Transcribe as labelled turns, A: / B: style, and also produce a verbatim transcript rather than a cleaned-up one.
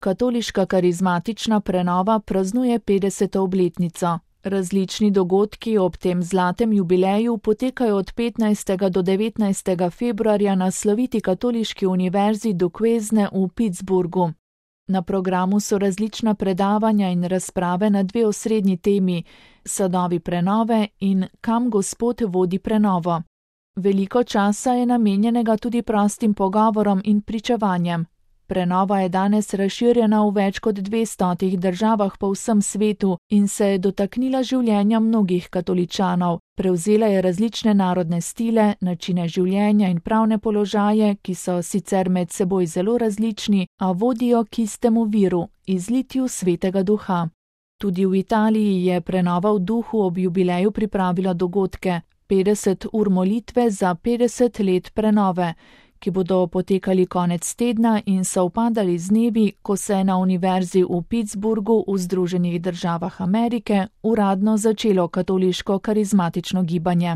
A: Katoliška karizmatična prenova praznuje petdeseto obletnico. Različni dogodki ob tem zlatem jubileju potekajo od petnajstega do devetnajstega februarja na sloviti katoliški univerzi Duquesne v Pittsburghu. Na programu so različna predavanja in razprave na dve osrednji temi: sadovi prenove in kam Gospod vodi prenovo. Veliko časa je namenjenega tudi prostim pogovorom in pričevanjem. Prenova je danes razširjena v več kot dvestotih državah po vsem svetu in se je dotaknila življenja mnogih katoličanov. Prevzela je različne narodne stile, načine življenja in pravne položaje, ki so sicer med seboj zelo različni, a vodijo k istemu viru, izlitju Svetega Duha. Tudi v Italiji je prenova v duhu ob jubileju pripravila dogodke, petdeset ur molitve za petdeset let prenove, ki bodo potekali konec tedna in sovpadali z dnevi, ko se je na univerzi v Pittsburghu v Združenih državah Amerike uradno začelo katoliško karizmatično gibanje.